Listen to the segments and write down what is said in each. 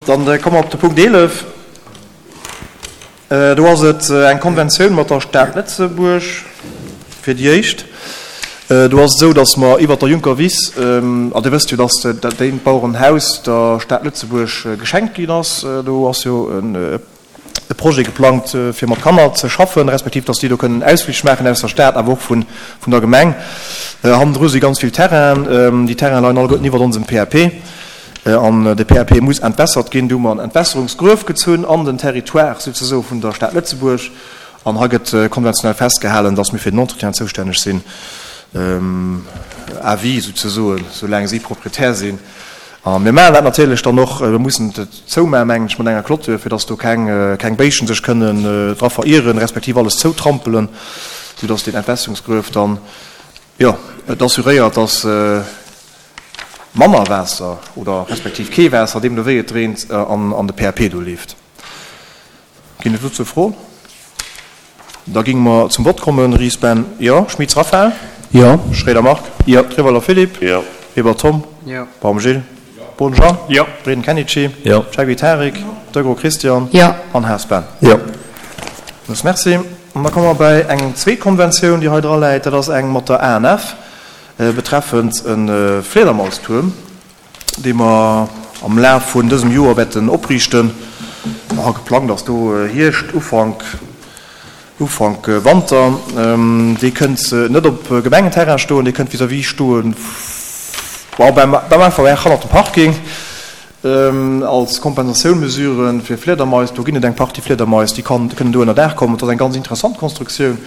Dann komme mer op de Punkt 11. Do ass et eng Konventioun mat der Stad Lëtzebuerg fir déi éischt. Do ass et esou, datt mer iwwert der Juncker Wiss, a Dir wësst jo, datt dat éint Bauerenhaus der Stad Lëtzebuerg geschenkt ginn ass. Do ass jo e Projet geplangt, fir mat Kanner ze schaffen, respektiv datt déi do kënnen Ausflich maachen aus der Stad, awer och vun der Gemeng. Hannendru si ganz vill Terrainen. Déi Terraine leien alleguerten iwwert onsem PAP. An de PAP muss entwässert ginn. Do hu mer en Entwässerungsgruef gezunn an den Territoire souzesoe vun der Stad Lëtzebuerg. An hei gëtt konventionell festgehalen, dass mir fir den Entretien zoustänneg sinn, à vie souzesoen, soulaang si Proprietär sinn. A mir maachen dat natierlech dann och, mir mussen et zoumaachen, mengen ech, mat enger Clôture, fir dass do keng, keng Béischen sech kënnen dra verieren, respektiv alles zoutrampelen, soudass deen Entwässerungsgruef dann, jo, et assuréiert, dass manner Waasser oder respektiv kee Waasser, deemno wéi et reent, an de PAP do leeft. Ginn et dozou Froen? Da géinge mer zum Vott kommen. Ries Ben, Jo. Schmitz Raphaël? Jo. Schroeder Marc? Jo. Treweiler Philippe? Jo. Weber Tom? Jo. Baum Gilles? Jo. Boden Jean? Jo. Breden Kenichi? Jo. Cheikbi Tarik? Jo. Degraux Christian? Jo. An Haas Ben? Jo. Villmools Merci. An da komme mer bäi eng zweet Konventioun, déi hei dra läit. Dat ass eng mat der ANF betreffend e Fliedermaustuerm, dee mer am Laf vun dësem Joer wäerten opriichten. A geplangt ass do Hierscht, Ufank, Ufank Wanter. Dee kënnt net op Gemengenterrain stoen, dee kënnt vis-à-vis stoen, beim AVR hannert dem Parking. Als Kompensatiounmesure fir Fliedermais, do ginn et eng Partie Fliedermais, déi kënnen do ënner Daach kommen. Et ass eng ganz interessant Konstruktioun,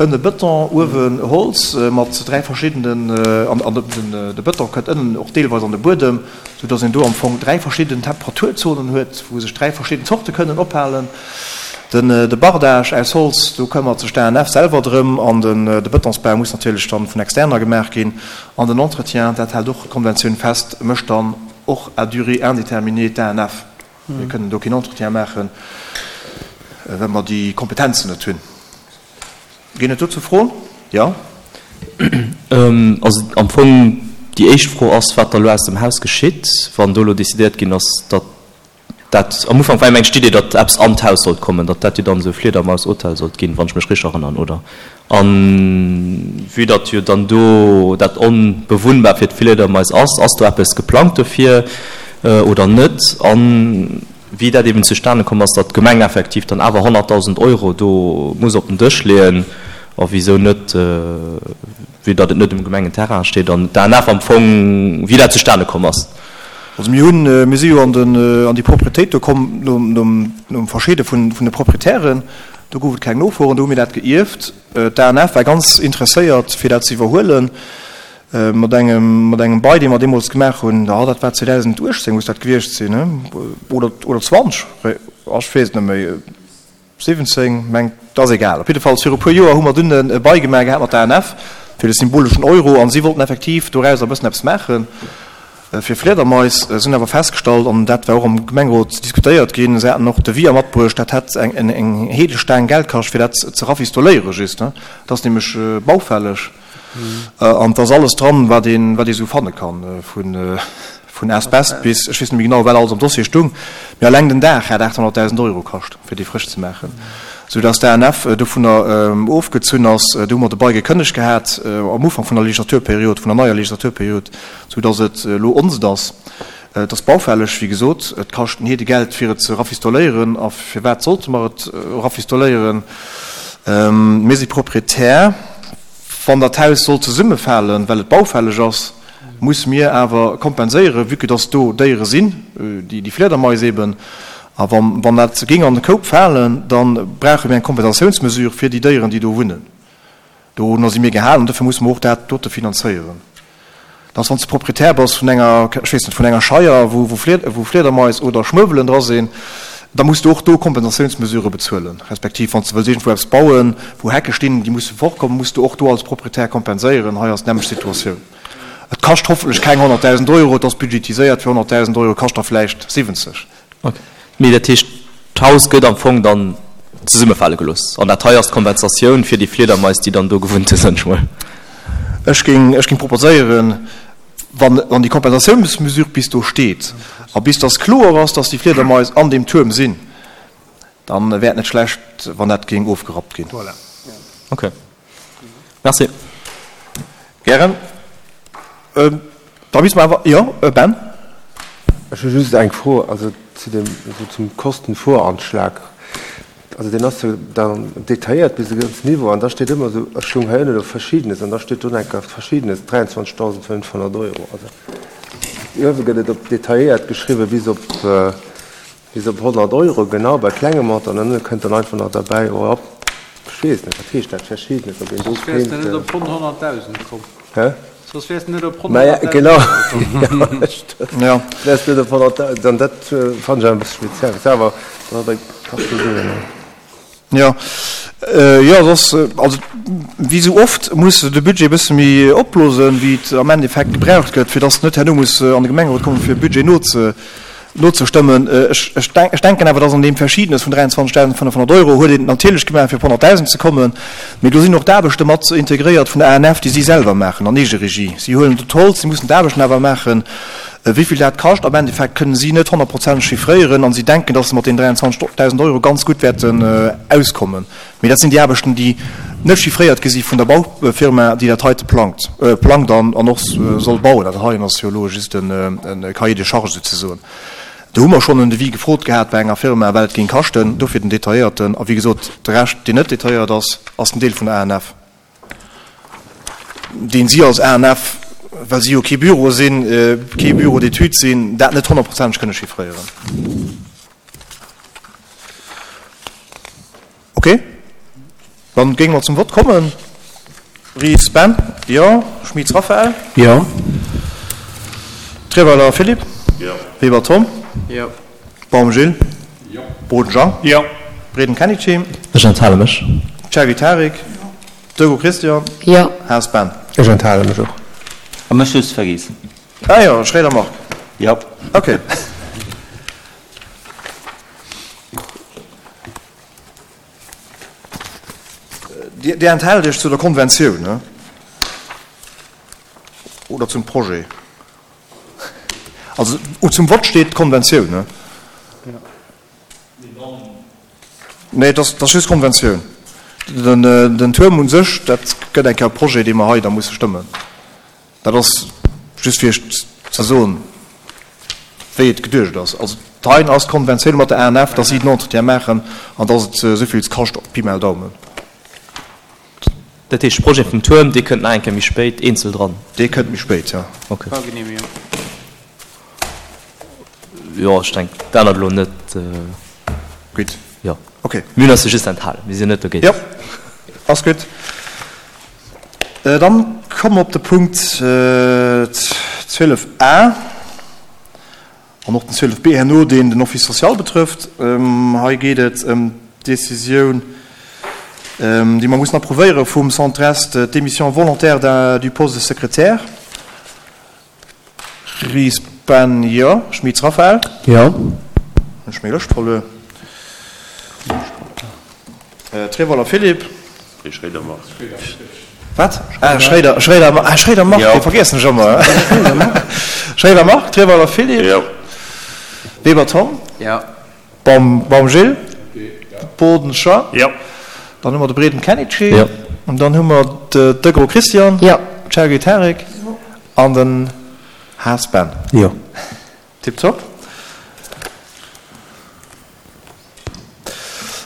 ënne Bëton, uewen Holz mat 3 verschiddenen, an de Bëton kënnt ënnen och deelweis an de Buedem, sou datt een do am Fong 3 verschidden Temperaturzonen huet, wou sech 3 verschidden Zorte kënnen ophalen. De Bardage aus Holz, do këmmert sech d'ANF selwer drëm, an de Bëtonsbau muss natierlech dann vun Externer gemaach ginn. An den Entretien, dat hält och d'Konventioun fest, mécht dann Och à durée indéterminée d'ANF. Mir kënnen do keen Entretien maachen, well mer déi Kompetenzen net hunn. Ginn et dozou Froen? Jo. Also am Fong déi éischt Fro ass, wat da elo aus dem Haus geschitt, wann do elo decidéiert ginn ass, datt dat, am Ufank war jo mengt d'Idee, datt eppes an d'Haus sollt kommen, datt dat jo dann esou e Fliedermaushotel sollt ginn, wann ech mech richteg erënnern, oder? A vue datt jo dann do dat onbewunnbar fir d'Fliedermais ass, ass do eppes geplangt dofir oder net? A wéi dat eben zustane komm ass, datt d'Gemeng effektiv dann awer 100.000 Euro do muss op den Dësch leeën, a wisou net, vue datt et net um Gemengenterrain steet an d'ANF am Fong, wéi dat zustane komm ass. Also mir hunn, mir si jo an den, an déi Propriétéit do komm nom, nom, nom Verscheede vun, vun de Proprietären. Do gouf et keng Nofro an do hu mir dat geierft. D'ANF war ganz interesséiert, fir dat ze iwwerhuelen, mat engem, mat engem Bail, dee mer deemools gemaach hunn. Jo, dat war 2018 muss dat gewiescht sinn, ne? Oder, oder 20, ech weess et net méi. 17, mengt, ass egal. Op jiddefalls viru puer Joer hu mer dunn e Bail gemaach gehat mat der ANF fir de symboleschen Euro an si wollten effektiv dorauser e bëssen eppes maache fir Fliedermais. Si hunn awer festgestallt, an dat war och am Gemengerot diskutéiert ginn, se haten och Deviser matbruecht, dat hätt eng Heedestaang Geld kascht fir dat ze rafistoléiere just. Dat ass nämlech baufälleg. An et ass alles dran, wat een, wat ee sou fanne kann, vun, vun Asbest bis, ech weess net méi genau, wat alles am Dossier stung, mee alleng den Daach hat 800.000 Euro kascht, fir dee frësch ze maachen, sou dass d'ANF dovunner ofgezunn ass. Do hu mer de Bail gekënnegt gehat am Ufank vun der Legislaturperiod, vun der neier Legislaturperiod, sou dass et elo onst ass. Et ass baufälleg, wéi gesot, et kascht en Heedegeld, fir et ze rafistoléieren. A firwat sollte mer et rafistoléieren? Mir si Proprietär. Wann dat Haus sollt zesummefalen, well et baufälleg ass, musse mir awer kompenséieren, vue que dass do Déiere sinn, déi Fliedermais eben. A wann dat géing an de Koup falen, da brauche mir eng Kompensatiounsmesure fir déi Déieren, déi do wunnen. Dorunner si mir gehalen an dofir musse mer och dat dote finanzéieren. Dass wann s de Proprietär bass vun enger, ech weess net, vun enger Scheier, wou wou Fliedermais oder Schmuewelen dra sinn, da muss de och do Kompensatiounsmesurë bezuelen. Respektiv wann s de wëlls iergendwou eppes bauen, wou Hecke stinn, déi musse fortkommen, muss de och do als Proprietär kompenséieren. Hei ass d'nämmlecht Situatioun. Et kascht hoffentlech keng 100.000 Euro, et ass budgetiséiert fir 100.000 Euro, kascht der vläicht 70. Ok. Mee dat heescht, d'Haus gëtt am Fong dann zesummefale gelooss an dat hei ass d'Kompensatioun fir déi Fliedermais, déi dann do gewunnt hunn, soen ech mol. Ech géing, ech géing proposéieren, wann, wann déi Kompensatiounsmesure bis do steet. A bis dass kloer ass, dass déi Fliedermais an deem Tuerm sinn, dann wär et net schlecht, wann dat géing ofgerappt ginn. Voilà. Ok. Merci. Gären. Da misste mer awer, jo, Ben? Ech hu just eng Fro, also zu dem, also zum Kostenvoranschlag. Also deen ass jo dann detailléiert bis e gewëssen Niveau an da steet ëmmer esou, ech hunn hei ënne elo Verschiedenes an da steet do enker Verschiedenes 23.500 Euro. Also uewe gëtt et op detailléiert geschriwwen bis op bis op 100 Euro, genau bei klenge Montanten an ënne kënnt dann einfach nach derbäi, oh hopp, ech weess net, wat heescht dat Verschiedenes, ob een do Soss wäers de net op ronn 100.000 komm. Hä? Soss wäers de net op ronn 100.000 Genau, komm. Ja. Wäers de net op 100.000, an dat fannen ech awer e bësse speziell. Ass awer, da kascht jo Suen. Jo, jo, soss, also wéi esou oft muss de Budget e bësse méi opblosen, wéi et am Endeffekt gebraucht gëtt, fir dass net herno muss an de Gemengerot kommen, fir e Budget noze nozestëmmen. Ech, ech denk, ech denken awer, dass an deem Verschiedenes vun 23.500 Euro huet een et natierlech gemaach, fir op 100.000 ze kommen, mee do sinn och d'Aarbechte mat integréiert vun der ANF, déi si selwer maachen an Eegeregie. Si huelen do d'Holz, si mussen d'Aarbechten awer maachen. Wéi vill dat kascht am Endeffekt, kënnen si net honnertprozenteg chiffréieren an si denken, dass se mat deenen 23.000 Euro ganz gutt wäerten auskommen. Mee dat sinn déi Aarbechten, déi net chiffréiert gi si vun der Baufirma, déi dat heite plangt, plangt an och soll bauen. Dat heien ass jo elo just e Cahier de charges souzesoen. Do hu mer schonn en Devis gefrot gehat bei enger Firma, wat et géing kaschten, dofir den detailléierten. A wéi gesot, de Rescht, deen net detailléiert ass, ass den Deel vun der ANF, deen si als ANF, well si jo kee Büro sinn, kee Bureau d'études sinn, dat net honnertprozenteg kënne chiffréieren. Ok, dann géinge mer zum Vott kommen. Ries Ben, Jo. Schmitz Raphaël? Jo. Treweiler Philippe? Jo. Weber Tom? Jo. Baum Gilles? Jo. Boden Jean? Jo. Breden Kenichi? Ech enthale mech. Cherry Tarik? Jo. Dego Christian? Jo. Haas Ben? Ech enthale mech och. A mech hues de vergiess. Ah jo, Schréider Marc. Jo. Ok. Dir enthaalt Iech zu der Konventioun, ne? Oder zum Projet? Also zum Vott steet d'Konventioun, ne? Nee, dat ass just d'Konventioun. Den Tuerm u sech, dat gëtt eng Kéier e Projet, dee mer hei da musse stëmmen. Dat ass just fir Iech ze soen, wéi et geduecht ass. Also d'Hein ass d'Konventioun mat der ANF, dass si den Entretien maachen an dass et esou vill kascht, Pi mal Daumen. Dat heescht, de Projet vum Tuerm, dee kënnt nach eng Kéier méi spéit eenzel dran? Dee kënnt méi spéit, jo. Okay. Jo, ech denken, dat ännert elo net. Gutt. Jo. Okay. Mir hunn eis jo just enthalen, mir sinn net dogéint. Jo, ass gutt. Dann komme mer op de Punkt 12 a an och den 12 b herno, deen den Office social betrëfft. Hei geet et ëm d'Décisioun, déi mer mussen approuvéiere vum Centre Est, d'Démission volontaire du poste de secrétaire. Ries Ben, Jo. Schmitz Raphaël? Jo. Hunn ech meng Lëscht verluer. Trevoller Philippe? Nee, Schréider Marc. Wat? Ah, Schréider, Schréider, ah, Schréider Marc, dee vergiessen ech ëmmer. Schréider Marc, Trevoller Philippe? Jo. Weber Tom? Jo. Baum, Baum Gilles? Boden Jean? Jo. Dann hu mer de Breden Kenichi. Jo. An dann hu mer de Degro Christian. Jo. Chergui Tarik. Jo. An den Haas Ben. Jo. Tiptop.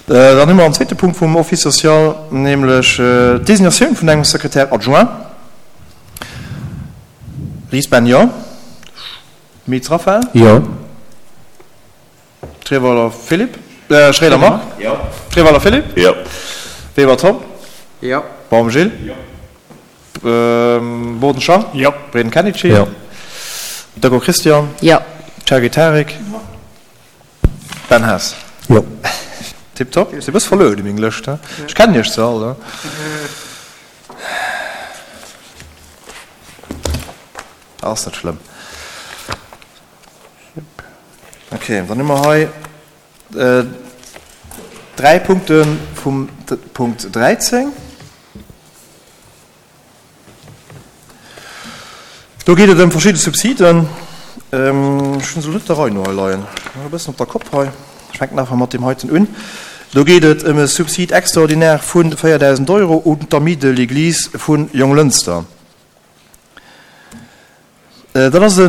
Dann hu mer en zweete Punkt vum Office social, nämlech d'Designatioun vun engem Secrétaire adjoint. Ries Ben, jo. Schmitz Raphaël? Jo. Trevoller Philippe, Schréider Marc, Jo. Trevoller Philippe, Jo. Weber Tom, Jo. Baum Gilles, Jo. Boden Jean, Jo. Breden Kenichi, Jo. Deco Christian, Jo. Chergui Tarik, Jo. Ben Haas. Jo. Tiptop. Si bësse verluer déi meng Lëscht, he? Ech kennen iech se all, he? Ass net schlëmm. Ok, dann hu mer hei dräi Punkte vum Punkt 13. Do geet et ëm verschidde Subsiden. Ech hunn se elo net der Rei no hei leien, e bëssen op der Kopp hei. Ech fänken einfach mat deem heiten un. Do geet et ëm e Subside extraordinaire vu 4.000 Euro un d'Amis de l'Église vu Jonglënster. Dat ass e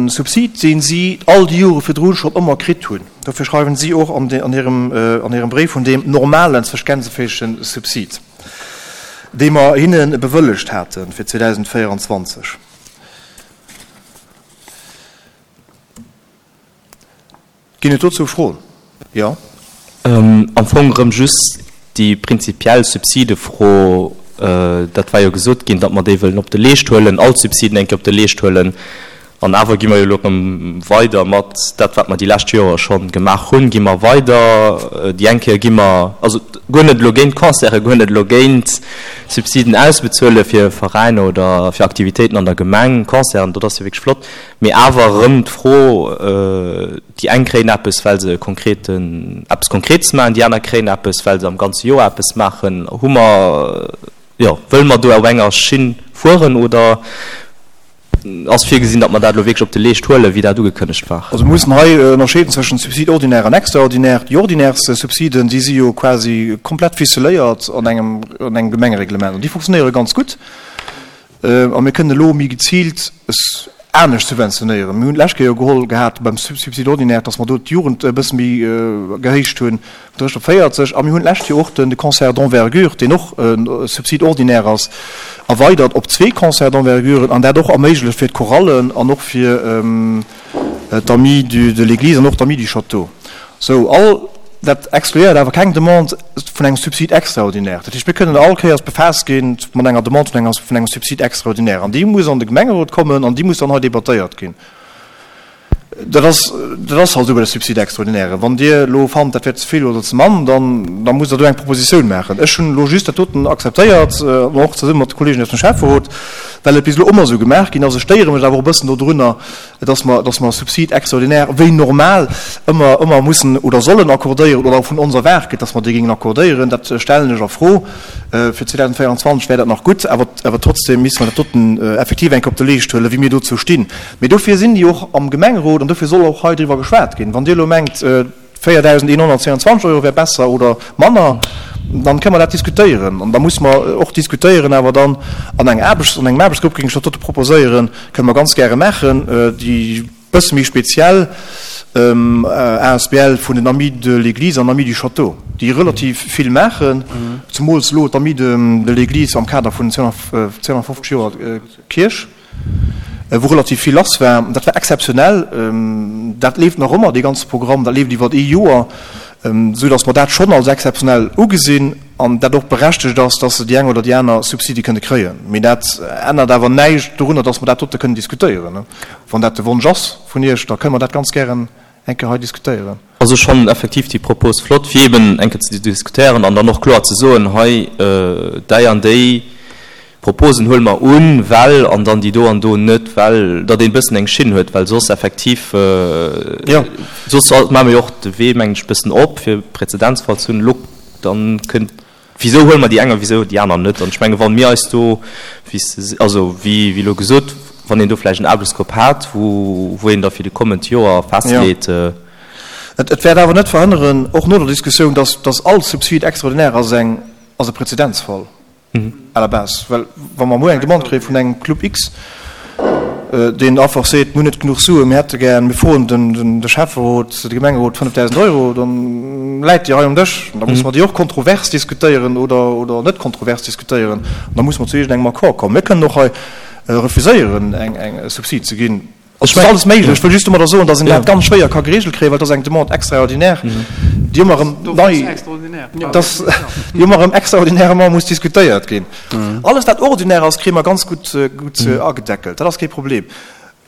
Subsid, dee si all déi Jore virdru schonn ëmmer kritt hunn. Dofir schreiwen si och an hirem Bréif vun deem normalen, zwëscht Gänseféischen, Subsid, dee mer hinne bewëllegt hate fir 2024. Ginn et dozou Froen? Jo. Am Fong erëm just déi prinzipiell Subsidefro. Dat war jo gesot ginn, datt mer déi wëllen op de Leescht huelen, all d'Subsiden eng Kéier op de Leescht huelen. An awer gi mer jo elo erëm weider mat dat, wat mer déi lescht Joere scho gemaach hunn, gi mer weider. Déi eng Kéier gi mer, also guer net elo géint d'Concerten, guer net elo géint Subsiden ausbezuele fir Veräiner oder fir Aktivitéiten an der Gemeng, Concerten, dat ass jo wierklech flott. Mee awer erëm d'Fro, déi eng kréien eppes, well se e konkreten, eppes Konkretes maachen, déi aner kréien eppes, well se am ganze Joer eppes maachen. Hu mer, jo, wëlle mer do op enger Schinn fueren oder ass virgesinn, datt mer dat elo wierklech op de Leescht huelen, wéi dat ugekënnegt war? Also mir mussen hei ënnerscheeden zwëschen Subside ordinaire an extraordinaire. Déi ordinaires Subsiden, déi si jo quasi komplett ficeléiert an engem, an engem Gemengereglement an déi funktionéiere ganz gutt. A mir kënnen elo méi geziilt anescht subventionéieren. Mir hunn d'lescht Kéier jo geholl gehat beim Subside ordinaire, dass mer do d'Jugend e bësse méi gehéicht hunn, vun 30 op 40. A mir hunn d'lescht Joer och de Concert d'envergure, deen och e Subside ordinaire ass, erweidert op zwee Concerts d'enverguren an dat och erméiglecht fir d'Chorallen an och fir d'Amis de l'Église an och d'Amis du Château. Sou, all dat excluéiert awer keng Demande vun engem Subside extraordinaire. Dat heescht, mir kënnen all Kéiers befaasst gi mat enger Demande vun enger, vun engem Subside extraordinaire. An déi muss an de Gemengerot kommen an déi muss dann hei debattéiert ginn. Dat ass, dat ass halt esou bei de Subside extraordinairen. Wann Dir elo fannt, dat wär ze vill oder ze mann, dann, da musst Der do eng Propositioun maachen. Ech hunn elo just dat doten akzeptéiert, an och zesumme mat de Kollegen aus dem Schäfferot, well et bis elo ëmmer esou gemaach ginn ass. Ech stéiere mech awer och e bëssen dodrunner, dass mer, dass mer Subside extraordinaire wéi normal ëmmer, ëmmer mussen oder sollen accordéieren oder vun ons erwaart gëtt, dass mer déi géingen accordéieren, dat stellen ech a Fro. Fir 2024 wär dat nach gutt, awer, awer trotzdem misste mer dat doten effektiv eng Kéier op de Leescht huelen, wéi mir dozou stinn. Mee dofir sinn déi och am Gemengerot an dofir soll och hei driwwer geschwat ginn. Wann Dir elo mengt, 4.122 Euro wär besser oder manner, dann kënne mer dat diskutéieren. An da musse mer och diskutéieren awer dann an eng Aarbechts-, an engem Aarbechtsgrupp géing ech dat dote proposéieren, kënne mer ganz gäre maachen, déi bësse méi speziell asbl vun den Amis de l'Église an Amis du Château, déi relativ vill maachen, zemools elo d'Amis de l'Église am Kader vun 250 Joer Kierch. wou relativ vill lass war. Dat war exzeptionell. Dat leeft nach ëmmer, dee ganze Programm. Dat leeft iwwer ee Joer, esou datt mer dat schonn als exzeptionell ugesinn an dat och berechtegt ass, datt se déi eng oder déi aner Subsidie kënne kréien. Mee dat ännert awer näischt dorunner, datt mer dat dote kënnen diskutéieren. Wann dat de Wonsch ass vun Iech, da kënne mer dat ganz gären eng Kéier hei diskutéieren. Also ech fannen effektiv déi Propos flott, fir eben eng Kéier ze diskutéieren an dann och kloer ze soen, hei däi an déi Proposen huele mer un, well, an dann déi do an do net, well, datt een e bëssen eng Schinn huet, well soss effektiv, soss maache mer jo och de Wee, mengen ech, e bëssen op, fir e Präzedenzfall ze hunn. Elo dann kënnt, wisou huele mer déi eng a wisou déi aner net? An ech menge wa mir eis do, wéi s de, also wéi elo gesot, wann een do vläicht en Aarbechtsgrupp hat, wou een da fir de kommend Joer festleet. Et wäert awer net verhënneren, och no der Diskussioun, datt all Subside extraordinaire ass eng, ass e Präzedenzfall. À la base, well wa mer muer eng Demande kréie vun engem Club X, deen einfach seet, mir hunn net genuch Suen, mir hätte gär, mir froen de Schäfferot, de Gemengerot 5.000 Euro, da läit déi hei um Dësch. An da musse mer déi och kontrovers diskutéieren oder net kontrovers diskutéieren. An da musse mer zu iergendengem Accord kommen. Mir kënnen och hei refuséieren, eng Subsid ze ginn. Et ass alles méiglech. Ech wëll just domadder soen, datt een dat ganz schwéier ka geregelt kréien, well et ass eng Demande extraordinaire, déi ëmmer erëm nei, dass déi ëmmer erëm extraordinairement muss diskutéiert ginn. Alles, wat ordinaire ass, kréie mer ganz gutt, gutt agedeckelt. Dat ass kee Problem.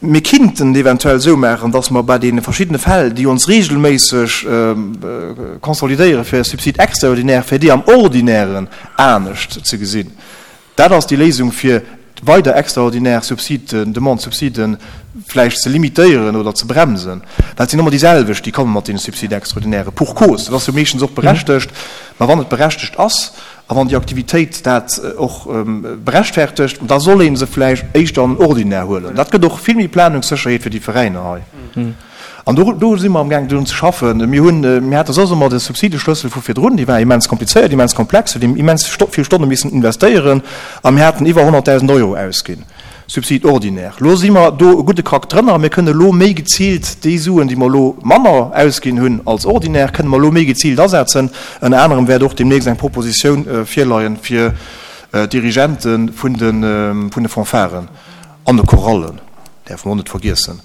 Mir kinnten et eventuell esou maachen, datt mer bei deene verschiddene Fäll, déi ons regelméisseg consolidéiere fir e Subside extraordinaire, fir déi am Ordinairen anescht ze gesinn. Dat ass déi Léisung fir. weider extraordinär Subsiden, Demande Subsiden vläicht ze limitéieren oder ze bremsen, well et sinn ëmmer déi selwecht, déi komme mat deene Subsides extraordinaires. Pour cause, dat ass jo meeschtens och berechtegt, mä wann et berechtegt ass a wann déi Aktivitéit dat och berechtfertegt, da soll ee se vläicht éischter an den Ordinaire huelen. Dat gëtt och vill méi Planungssécherheet fir déi Veräiner hei. An do, do si mer amgaang drun ze schaffen. Mir hunn, mir hate soss ëmmer de Subsideschlëssel vu virdrun, dee war immens komplizéiert, immens komplex, huet immens vill Stonne missen investéieren a mir haten iwwer 100.000 Euro ausginn, Subside ordinaire. Elo si mer do e gudde Krack drënner a mir kënnen elo méi geziilt déi Suen, déi mer elo manner ausginn hunn als ordinaire, kënnen mer elo méi geziilt asetzen. Ënner anerem wäert och deemnächst eng Propositioun virleien fir d'Dirigente vun de, vun de Fanfaren an de Chorallen, däerfe mer och net vergiessen.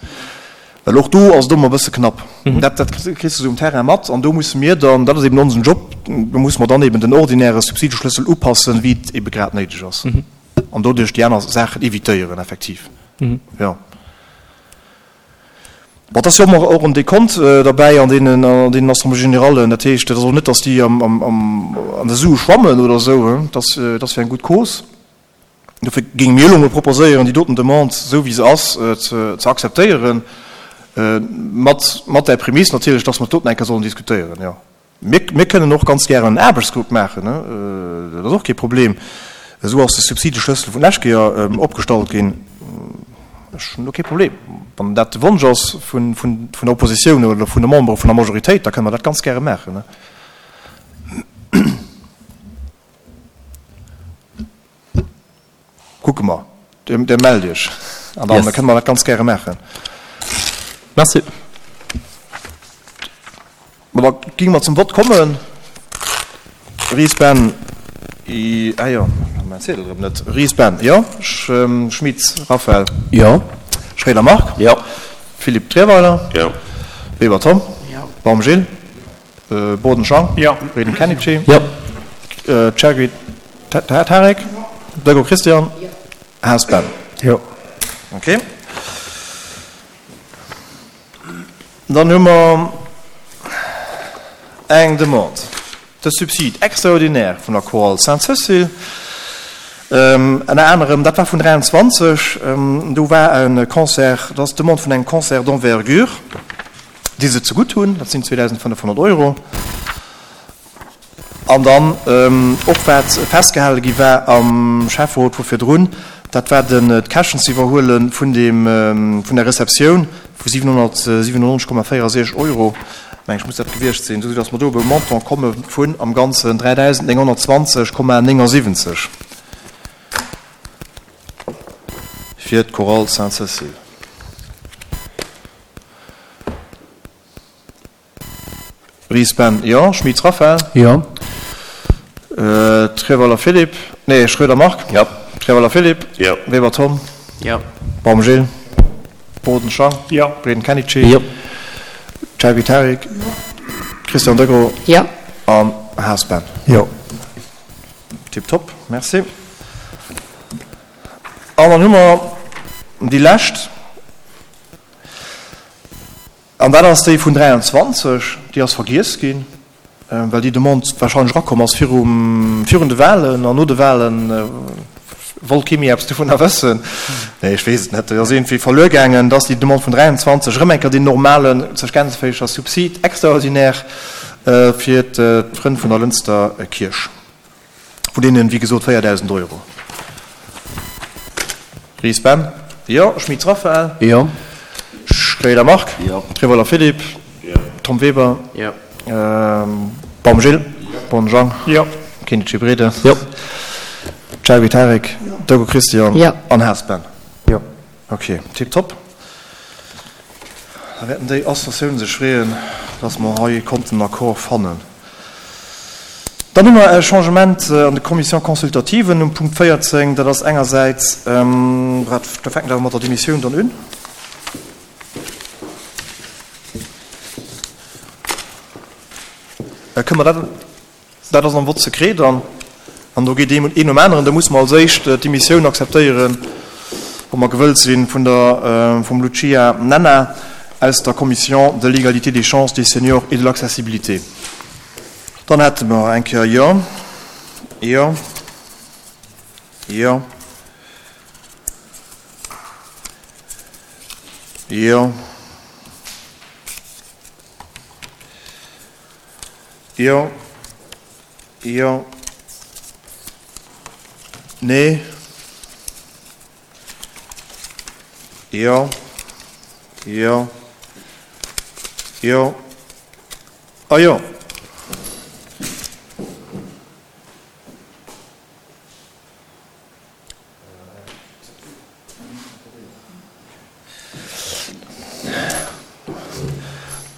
Well och do ass et ëmmer e bësse knapp. Dat, dat kriss de sou um Terrain mat. An do musse mir dann, dat ass eben onsen Job, do musse mer dann eben den ordinäre Subsideschlëssel upassen, wéi et ebe grad néideg ass. An doduerch déi aner Saachen evitéieren, effektiv. Jo. Bon, et ass jo ëmmer och en Dekont derbäi an deenen, an deenen Assemblées générales. Dat heescht, et ass och net, datt déi am, am, am, an de Sue schwammen oder esou. Et ass, et ass fir eng gutt Cause. Dofir géinge mir elo emol proposéieren, déi doten Demande, esou wéi se ass, ze akzeptéieren, mat, mat där Prämiss natierlech, dass mer dat doten eng Kéier sollen diskutéieren, jo. Mir, mir kënnen och ganz gären en Aarbechtsgrupp maachen, dat ass och kee Problem. Esou ass de Subsideschlëssel vun lescht Kéier opgestallt ginn. Ech hunn do kee Problem. Wann dat de Wonsch ass vun, vun, vun der Oppositioun oder vun de Membere vun der Majoritéit, da kënne mer dat ganz gäre maachen. Kucke mer. Dir mellt Iech an da kënne mer dat ganz gäre maachen. Merci. Ma da géinge mer zum Vott kommen. Ries Ben, ah jo, mäin Ziedel erëm net. Ries Ben, jo. Schmitz Raphaël. Jo. Schroeder Marc. Jo. Philippe Trierweiler. Jo. Weber Tom. Jo. Baum Gilles. Boden Jean. Jo. Reden Kenichi. Jo. Chergui Tarek. Dögo Christian. Jo. Haas Ben. Jo. Ok. Dann hu mer eng Demande de subside extraordinaire vun der Chorale Sainte-Cécile. Ënner anerem, dat war vun 23, do war e Concert, dat ass d'Demande vun engem Concert d'envergure. déi se zegutt hunn, dat sinn 2.500 Euro. An dann och wat festgehale gi war am Schäfferot vu virdrun, dat war den d'Käschten ze iwwerhuele vun deem, vun der Receptioun vu 797,64 Euro, meng ech muss dat gewiescht sinn, esou datt mer do op e Montant komme vun am Ganzen 3.920,79 fir d'Chorale Sainte-Cécile. Ries Ben, jo. Schmitz Raphaël. Jo. Trierweiler Philippe, nee, Schroeder Marc. Jo. Trierweiler Philippe. Jo. Weber Tom. Jo. Baum Gilles. Boden Jean. Jo. Breden Kenichi. Jo. Chergui Tarik. Jo. Christian Degros. Jo. An Haas Ben. Jo. Tiptop, merci. An dann hu mer déi lescht. An dat ass déi vun 23, déi ass vergiess ginn, well déi Demande wahrscheinlech erakomm ass virum, virun de Wahlen an no de Wahlen wollt kee méi eppes dovunner wëssen. Nee, ech weess et net, déi ass iergendwéi verluer gaangen. Dat ass déi Demande vun 23, erëm eng Kéier deen normalen, sech gänzeféiger Subside extraordinaire fir d'Frënn vun der Lënster Kierch. Vun deenen, wéi gesot, 4.000 Euro. Ries Ben? Jo. Schmitz Raphaël? Jo. Schroeder Marc? Jo. Trierweiler Philippe? Jo. Tom Weber? Jo. Baum Gilles? Jo. Born Jean? Jo. Kindici Brede? Jo. Chergui Tarik? Jo. Doggo Christian? Jo. An Haas Ben? Jo. Ok, tiptop. Da wäerten déi Associatiounen sech freeën, dass mer hei konnten en Accord fannen. Dann hu mer e Changement an de Commissions consultativen um Punkt 14. Dat ass engersäits, wat, da fänken ech awer mat der Demissioun dann un. Kënne mer dat? Dat ass am Vote secret dann, an do geet een nom aneren. Da musse mer als éischt d'Demissioun akzeptéieren, wa mer gewëllt sinn, vun der, vum Lucia Nenna aus der Commission de l'égalité des chances des seniors et de l'accessibilité. Dann hätte mer eng Kéier, jo, jo, jo. Jo. Jo. Jo. Nee. Jo. Jo. Jo. A jo.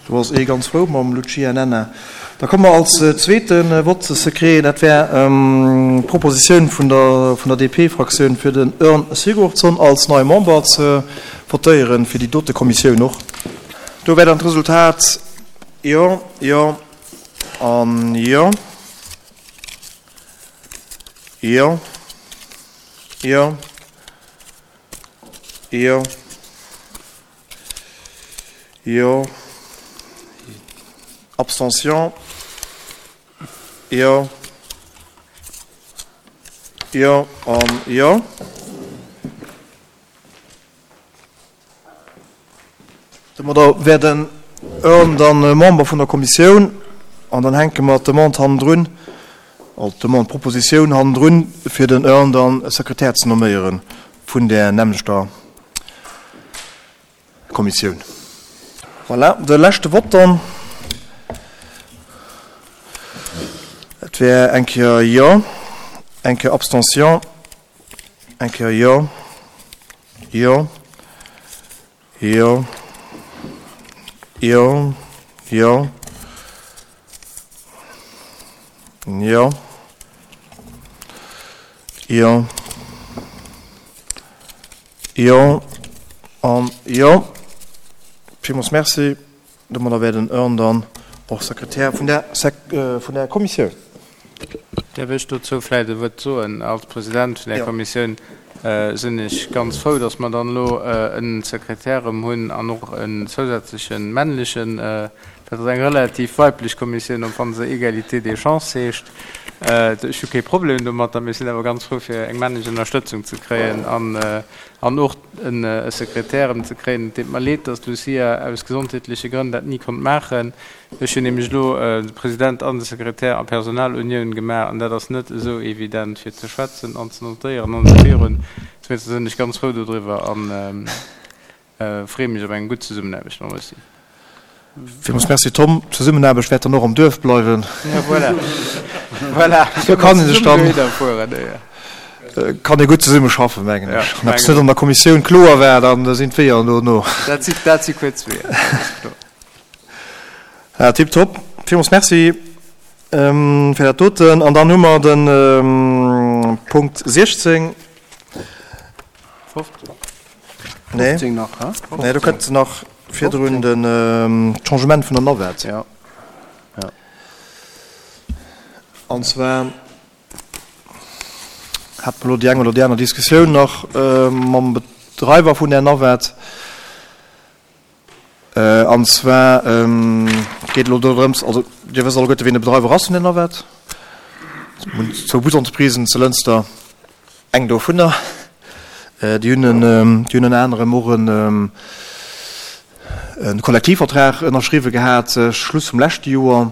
Do ass ee ganz frou mam Lucia Nenna. Da komme mer als zweete Vote secret, dat wär d'Propositioun vun der vun der DP-Fraktioun, fir den Örn Sigurdsson als neie Member ze votéieren, fir déi dote Kommissioun och. Do wär dann d'Resultat Jo, Jo an Jo. Jo. Jo. Jo. Jo. Abstention. Jo. Jo an Jo. Domadder wär den Earn dann Member vun der Kommissioun an dann hänke mer d'Demande hannendrun, also d'Demande, d'Propositioun hannendrun, fir den Earn dann Sekretär ze nomméiere vun där nämmlechter Kommissioun. Voilà, de leschte Vott dann. Et wär eng Kéier Jo, eng Kéier Abstention. Eng Kéier Jo, Jo, Jo, Jo, Jo, Jo, Jo, Jo an Jo. Villmools Merci. Domadder wär den Earn dann och Sekretär vun där, vun där Kommissioun. Däerf ech dozou vläicht e Wuert soen? Als President vun där Kommissioun sinn ech ganz frou, dass mer dann elo e Sekretär erëm hunn an och en zousätzleche männlechen. Dat ass eng relativ weiblech Kommissioun, och wann se Égalité des chances heescht. Ech hu kee Problem domatter, mee ech sinn awer ganz frou, fir eng männlech Ënnerstëtzung ze kréien an och e Sekretär erëm ze kréien. Et deet mer leed, dass d'Lucia aus gesondheetleche Grënn dat ni konnt maachen. Ech hunn nämlech elo de President an de Sekretär a Personalunioun gemaach an dat ass net esou evident fir ze schwätzen an ze notéieren an esou virun. Dowéinster sinn ech ganz frou dodriwwer a freeë mech op eng gutt Zesummenaarbecht mam Lucie. Villmools Merci Tom. D'Zesummenaarbecht wäert dann och am Duerf bleiwen. Ja, voilà. Voilà. Do kann ee sech dann, kann ee gutt zesumme schaffen, mengen ech. Wann eppes net an der Kommissioun kloer war, dann sinn d'Weeër no no. Dat si, dat si kuerz Weeër, dat ass kloer. Ja, tipptopp. Villmools Merci fir dat doten. An dann hu mer de Punkt 16. 15. Nee. 15 nach, hä? Nee, do kënnt nach virdrun den Changement vun der Navette. Ja. Ja. An zwar hat mer elo déi eng oder déi aner Diskussioun nach mam Bedreiwer vun där Navette. An zwar geet elo dorëms, also Dir wësst alleguerte wien de Bedreiwer ass vun der Navette. Mir hunn zwou Busentreprisen zu Lënster, eng dovunner. Déi hunn en, déi hunn ënner anerem och en Kollektivvertrag ënnerschriwwe gehat, Schluss vum leschte Joer,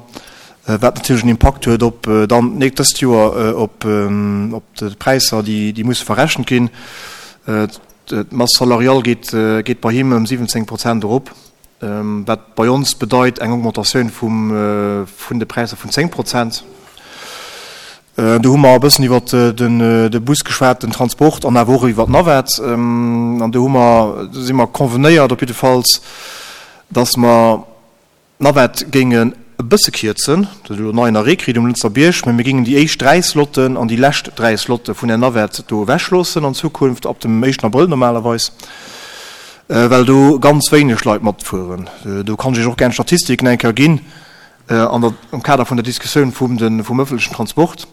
wat natierlech en Impakt huet op dann dëst Joer op d'Präisser, déi musse verrechent ginn. D'Masse salariale geet geet bei him ëm 17 Prozent erop, wat bei ons bedeit eng Augmentatioun vum vun de Präisser vun 10 Prozent. Do hu mer e bëssen iwwer den de Bus geschwat, den Transport an awer och iwwer d'Navette. An do hu mer, do si mer convenéiert op jiddefalls, datt mer, D'Navette géingen e bësse kierzen, dat huet elo en neien Arrêt kritt um Lënster Bierg, mä mir géingen déi éischt 3 Slotten an déi lescht 3 Slotte vun der Navette do ewechloossen an Zukunft, ab dem éischten Abrëll normalerweis, well do ganz wéineg Leit matfueren. Do kann ech Iech och gär d'Statistiken eng Kéier ginn an der, am Kader vun der Diskussioun vum de, vum ëffentlechen Transport.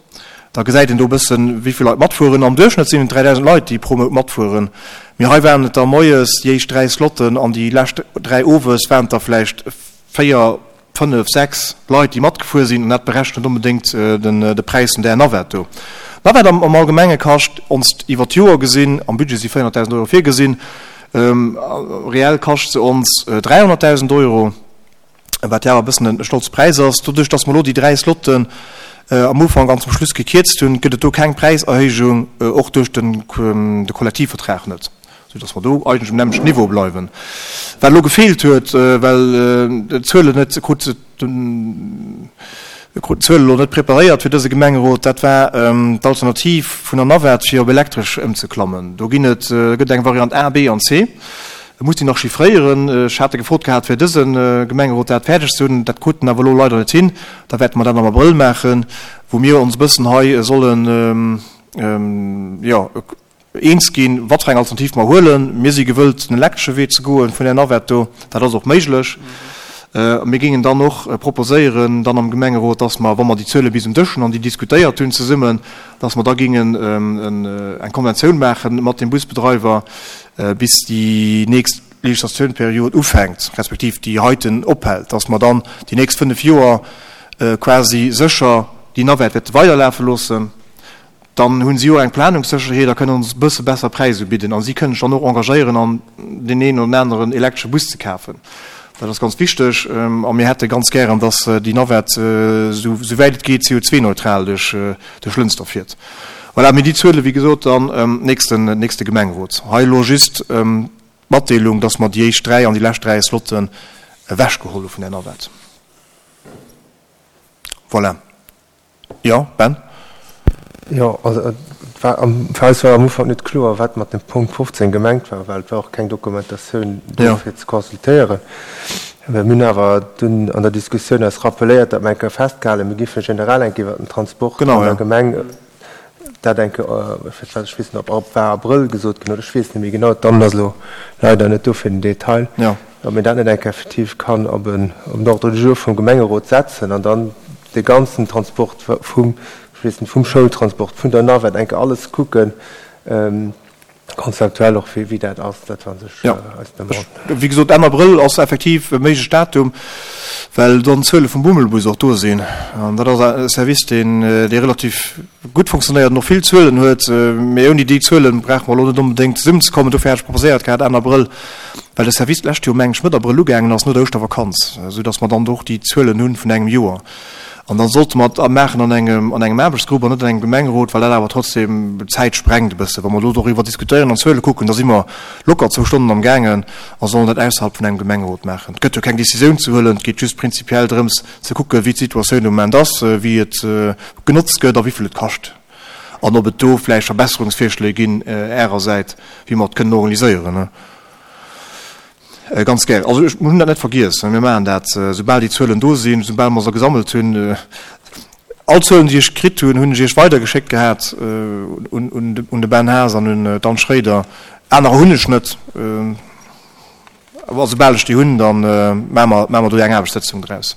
Da gesäit een do e bëssen, wéi vill Leit matfueren. Am Duerchschnëtt sinn et 3.000 Leit, déi pro Mount matfueren. Mee hei waren et der moies déi éischt 3 Slotten an déi lescht 3 owes waren et der vläicht 4, 5, 6 Leit, déi matgefuer sinn. An dat berechent net onbedéngt de Präis vun där Navette do. D'Navette am Allgemenge kascht ons iwwer d'Joer gesinn, am Budget si 400.000 Euro virgesinn. Reell kascht se ons 300.000 Euro, wat jo awer e bëssen e stolze Präis ass. Doduerch, dass mer elo déi 3 Slotten am Ufank an zum Schluss gekierzt hunn, gëtt et do keng Präiserhéijung, och duerch de Kollektivvertrag net, soudass mer do eigentlech um nämmlechten Niveau bleiwen. Wat elo gefeelt huet, well d'Zuelen net krut, Mir kruten d'Zuele lo net preparéiert fir dëse Gemengerot. Dat war d'Alternativ vun der Navette fir op elektresch ëmzeklammen. Do ginn et, gëtt eng Variant A, B an C. Ech muss déi nach chiffréieren. Ech hate gefrot gehat fir dëse Gemengerot dat fäerdeg ze hunn. Dat kruten awer elo leider net hin. Da wäerte mer dat am Abrëll maachen, wou mir ons e bëssen hei sollen, jo, eens ginn, wat fir eng Alternativ mer huelen. Mir si gewëllt, den elektresche Wee ze goen vun där Navette do. Dat ass och méiglech. Mir géingen dann och proposéieren dann am Gemengerot, dass mer, wa mer déi Zuele bis um Dësch hunn an déi diskutéiert hunn zesummen, dass mer da géingen eng Konventioun maache mat dem Busbedreiwer, bis déi nächst Legislationperiod ufänkt, respektiv déi heiten ophält, dass mer dann déi nächst fënnf Joer quasi sécher déi Navette wäerte weiderlafe loossen. Dann hunn si och eng Planungssécherheet a kënnen ons e bësse besser Präis ubidden. A si kënnen sech dann och engagéieren an deen een oder aneren elektresche Bus ze kafen. Dat ass ganz wichteg. A mir hätte ganz gären, dass déi Navette, esou wäit et geet, CO2-neutral duerch Lënster fiert. Voilà, mee déi Zuele wéi gesot dann nächsten, nächste Gemengerot. Hei elo just d'Matdeelung, dass mer déi éischt 3 an déi lescht 3 Slotten ewechgeholl hu vun där Navette. Voilà. Jo, Ben? Jo, also et war am, fir eis war am Ufank net kloer, wat mat dem Punkt 15 gemengt war, well et war och keng Dokumentatioun do fir ze consultéieren. Mir hunn awer dunn an der Diskussioun eis rappeléiert, datt mer eng Kéier festgehalen, mir géife generell eng Kéier iwwert den Transport an der Gemeng dat eng Kéier, ech weess net, ob war Abrëll gesot ginn oder ech weess net méi genau, d'Anne ass elo leider net do fir den Detail, ob een dat net eng Kéier effektiv kann op en Ordre du jour vum Gemengerot setzen an dann de ganzen Transport vum, ech weess net, vum Schoultransport, vun der Navette, eng Kéier alles kucken, konzeptuell och, wéi dat ass, dat war u sech eis Demande. Wéi gesot, Enn Abrëll ass effektiv e méiglecht Datum, well dann d'Zuele vum Bummelbus och do sinn. An dat ass e Service, deen, dee relativ gutt funktionéiert an och vill Zuelen huet. Mee ouni déi Zuele brauche mer elo net onbedéngt zesummenzekommen. Dofir hat ech proposéiert gehat, Enn Abrëll, well de Service d'lescht Joer, meng ech, Mëtt Abrëll ugaangen ass, no der Ouschtervakanz, esou dass mer dann och déi Zuelen hu vun engem Joer. An dann sollte mer et maachen an engem, an engem Aarbechtsgrupp an net an engem Gemengerot, well dat awer trotzdem d'Zäit sprengt e bësse. Wa mer elo doriwwer diskutéieren an Zuele kucken, da si mer locker zwou Stonnen am gaangen a sollen dat ausserhalb vun engem Gemengerot maachen. Et gëtt jo keng Décisioun ze huelen, et geet just prinzipiell drëms ze kucken, wéi d'Situatioun de Moment ass, wéi et genotzt gëtt a wéi vill et kascht an ob et do vläicht Verbesserungsvirschléi ginn Ärersäit, wéi mer et kënnen organiséieren. Ganz gär. Also ech, mir hunn dat net vergiess. Mir maachen dat, soubal déi Zuelen do sinn, soubal mer se gesammelt hunn. All Zuelen, déi ech kritt hunn, hunn ech Iech weidergeschéckt gehat un de Ben Haas an un d'Anne Schroeder. Anerer hunn ech net. Awer soubal ech déi hunn, da maache mer, maache mer do eng Aarbechtssëtzung draus.